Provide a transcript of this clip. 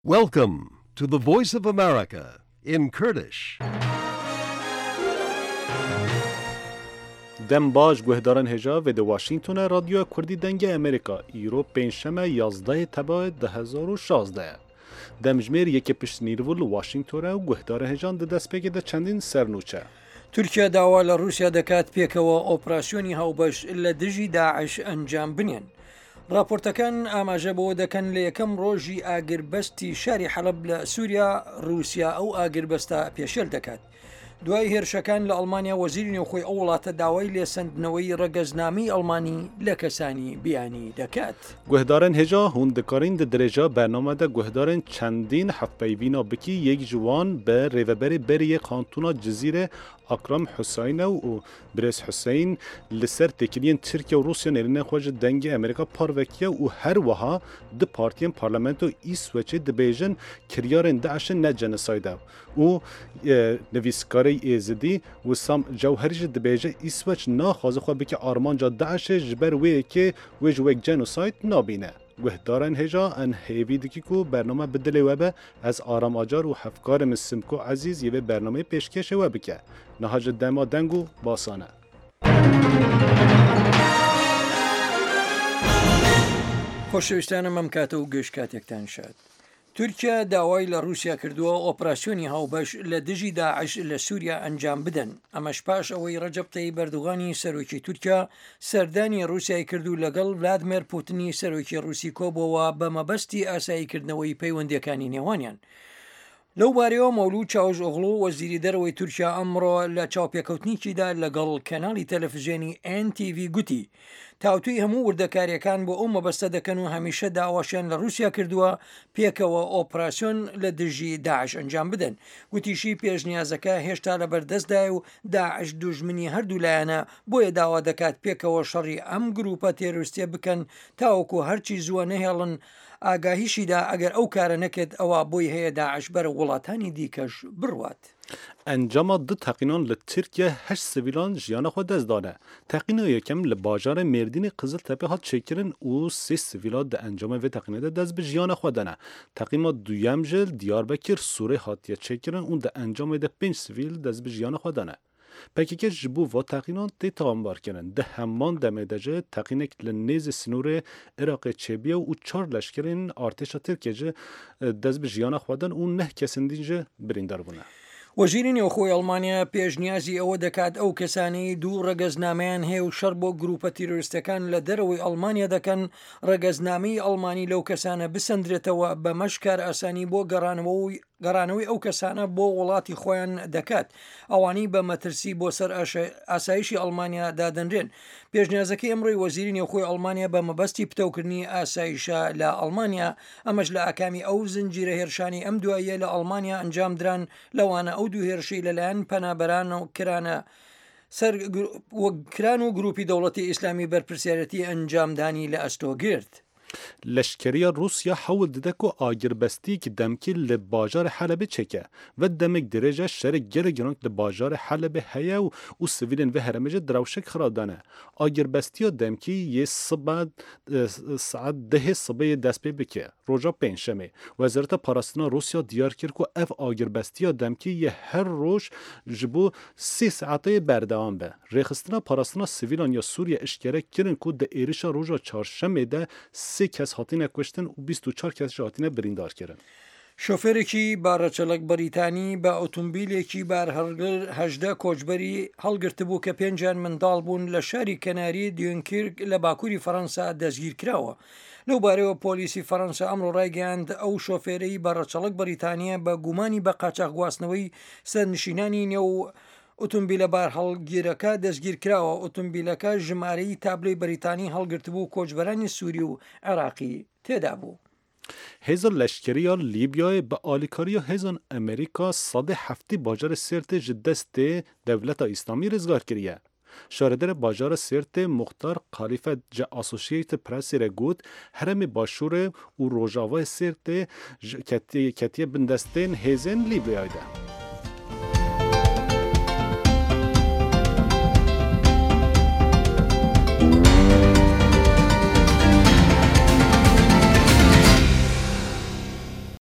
Welcome to the Voice of America in Kurdish. Dem baş guhdaran hêja vê di Washingtonê Radyoya Kurdî Dengê Amerîka îro pêncşeme yazdehê Tebayê 2016 ye. Demjimêr yekê pişt nîrvo li Washingtonê û guhdarên hêjan di destpêkê de çendîn sernûçe. تورکیا داوا لە ڕووسیا دەکات پێکەوە ئۆپراسیۆنی هاوبەش لە دژی داعش ئەنجام بنێن. ڕاپۆرتەکان ئاماژە بەوە دەکەن لە یەکەم ڕۆژی ئاگربەستی شاری حەلەب لە سووریا ڕووسیا ئەو ئاگربەستە پێشێل دەکات. دوای هێرشەکان لە ئەڵمانیا وەزیری نێوخۆی ئەو وڵاتە داوای لێسەندنەوەی ڕەگەزنامەی ئەڵمانی لە کەسانی بیانی دەکات. Guhdarên hêja hûn dikarîn di dirêja bername de guhdarên çendîn hevpeyvîna bikî yek ji wan bi rêveberê berê yê Kantona Cizîrê Akram Huseyîn e û Birêz Huseyîn li ser têkiliyên Tirkiye û Rûsya nêrînên xwe ji Dengê Amerîka parve kiriye û her wiha du partiyên parlamento Îsweçê dibêjin kiryarên DAIŞ'ê ne cenosayd e û nivîskarê Êzidî Wissam Cewherî jî dibêje Îsweç naxwaze xwe bike armanca DAIŞ'ê ji ber wê yekê wê ji wek cenosayd nabîne. Guhdarên hêja en hêvî dikî ku bername bi dilê we be ez Aram Acar û hevkarê min Simko Ezîz yê vê bernameyê pêşkêşê we bike. Niha ji dema deng û basan e. خۆشەویستانم ئەم کاتە و گشت کاتێکتان شاد. تورکیا داوای لە ڕووسیا کردووە ئۆپراسیۆنی هاوبەش لە دژی داعش لە سووریا ئەنجام بدەن، ئەمەش پاش ئەوەی ڕەجەب تەیب ئەردوغانی سەرۆکی تورکیا سەردانی ڕووسیای کرد و لەگەڵ ڤلادمێر پوتنی سەرۆکی ڕووسی کۆبۆوە بە مەبەستی ئاساییکردنەوەی پەیوەندییەکانی نێوانیان. لەو بارەیەوە مەولود چاوشئۆغڵو وەزیری دەرەوەی تورکیا ئەمڕۆ لە چاوپێکەوتنیکیدا لەگەڵ کەناڵی تەلەفزیۆنی ئێن تی ڤی گوتی، تاوتوێی هەموو وردەکارییەکان بۆ ئەو مەبەستە دەکەن و هەمیشە داواشیان لە ڕووسیا کردووە پێکەوە ئۆپراسیۆن لە دژی داعش ئەنجام بدەن. گوتیشی پێشنیازەکە هێشتا لەبەردەستدایە و داعش دوژمنی هەردوو لایەنە، بۆیە داوا دەکات پێکەوە شەڕی ئەم گرووپە تێرۆریستییە بکەن تاوەکو هەرچی زووە نەهێڵن ئاگاهیشی دا ئەگەر ئەو کارە نەکرد ئەوا بۆی هەیە داعش بەرەو وڵاتانی دیکەش بڕوات. Encama du teqînan li Tirkiye heşt sivîlan jiyana xwe dest dane. Teqîna yekem li bajarê Mêrdînê Qiziltepe hat çêkirin û sê sivîla di encama vê teqînê de dest bi jiyana xwe dane. Teqîma duyem ji li Diyarbekir Sûrê hatiye çêkirin û di encamê de pênc sivîl dest bi jiyana xwe dane. Pkk ji bo va teqînan tê tawanbarkirin. Di heman demê de jî teqînek li nêzî sînorê Iraqê çêbûye û çar leşkerên artêşa Tirkiyê jî dest bi jiyana xwe dan û neh kesên din jî birîndar bûne. وەزیری نێوخۆی ئەڵمانیا پێشنیازی ئەوە دەکات ئەو کەسانەی دوو ڕەگەزنامەیان هەیە و شەڕ بۆ گرووپە تیرۆریستەکان لە دەرەوەی ئەڵمانیا دەکەن، ڕەگەزنامەی ئەڵمانی لەو کەسانە بسەندرێتەوە، بەمەش کارئاسانی بۆ گەڕانەوەی گەڕانەوەی ئەو کەسانە بۆ وڵاتی خۆیان دەکات، ئەوانەی بە مەترسی بۆ سەر ئاسایشی ئەڵمانیا دادەنرێن. پێشنیازەکەی ئەمڕۆی وەزیری نێوخۆی ئەڵمانیا بە مەبەستی پتەوکردنی ئاسایشە لە ئەڵمانیا، ئەمەش لە ئاکامی ئەو زنجیرە هێرشانەی ئەم دواییە لە ئەڵمانیا ئەنجامدران، لەوانە ئەو دوو هێرشەی لەلایەن پەنابەران کرانە سەر کران و گروپی دەوڵەتی ئیسلامی بەرپرسیارەتی ئەنجامدانی لە ئەستۆ گرت. Leşkeriya Rûsya hewl dide ku agirbestiyek demkî li bajarê Helebê çêke. Ve demek dirêj e şerê gelek giran li bajarê Helebê heye û û sivîlên vê herêmê jî di rewşek xirab de ne. Agirbestiya demkî yê sibe saet dehê sibê yê dest pê bike. Roja pêncşemê Wezareta Parastina Rûsya diyar kir ku ev agirbestiya demkî yê her roj ji bo sê saetê berdewam be. Rêxistina Parastina Sivîlan ya Sûriye eşkere kirin ku di êrişa roja çarşemê de sê kes hatine kuştin û 24 kes jî hatine birîndarkirin. شۆفێرێکی بە ڕەچەڵەک بەریتانی بە ئۆتۆمبیلێکی بارهەڵگر 18 کۆچبەری هەڵگرتبوو کە پێنجیان منداڵ بوون لە شاری کەناری دیونکیرک لە باکووری فەرەنسا دەستگیرکراوە. لەو بارەیەوە پۆلیسی فەرەنسا ئەمڕۆ ڕایگەیاند ئەو شۆفێرەی بە ڕەچەڵەک بەریتانییە بە گومانی بە قاچاخ گواستنەوەی سەرنشینانی نێو ئۆتۆمبیلە بارهەڵگیرەکە دەستگیرکراوە، ئۆتۆمبیلەکە ژمارەی تابلۆی بەریتانی هەڵگرتبوو کۆچبەرانی سووری و عێراقی تێدابوو. Hêza leşkerî ya Lîbyayê bi alîkariya hêzan Amerîka sedê heftê bajarê Sêrtê ji destê Dewleta Îslamî rizgar kiriye. Şaredarê bajara Sêrtê Muxtar Xalîfe ji Associated Pressê re got, herêmê Başûrê û Rojavayê Sêrtê ketiye bin destên hêzên Lîbyayê de.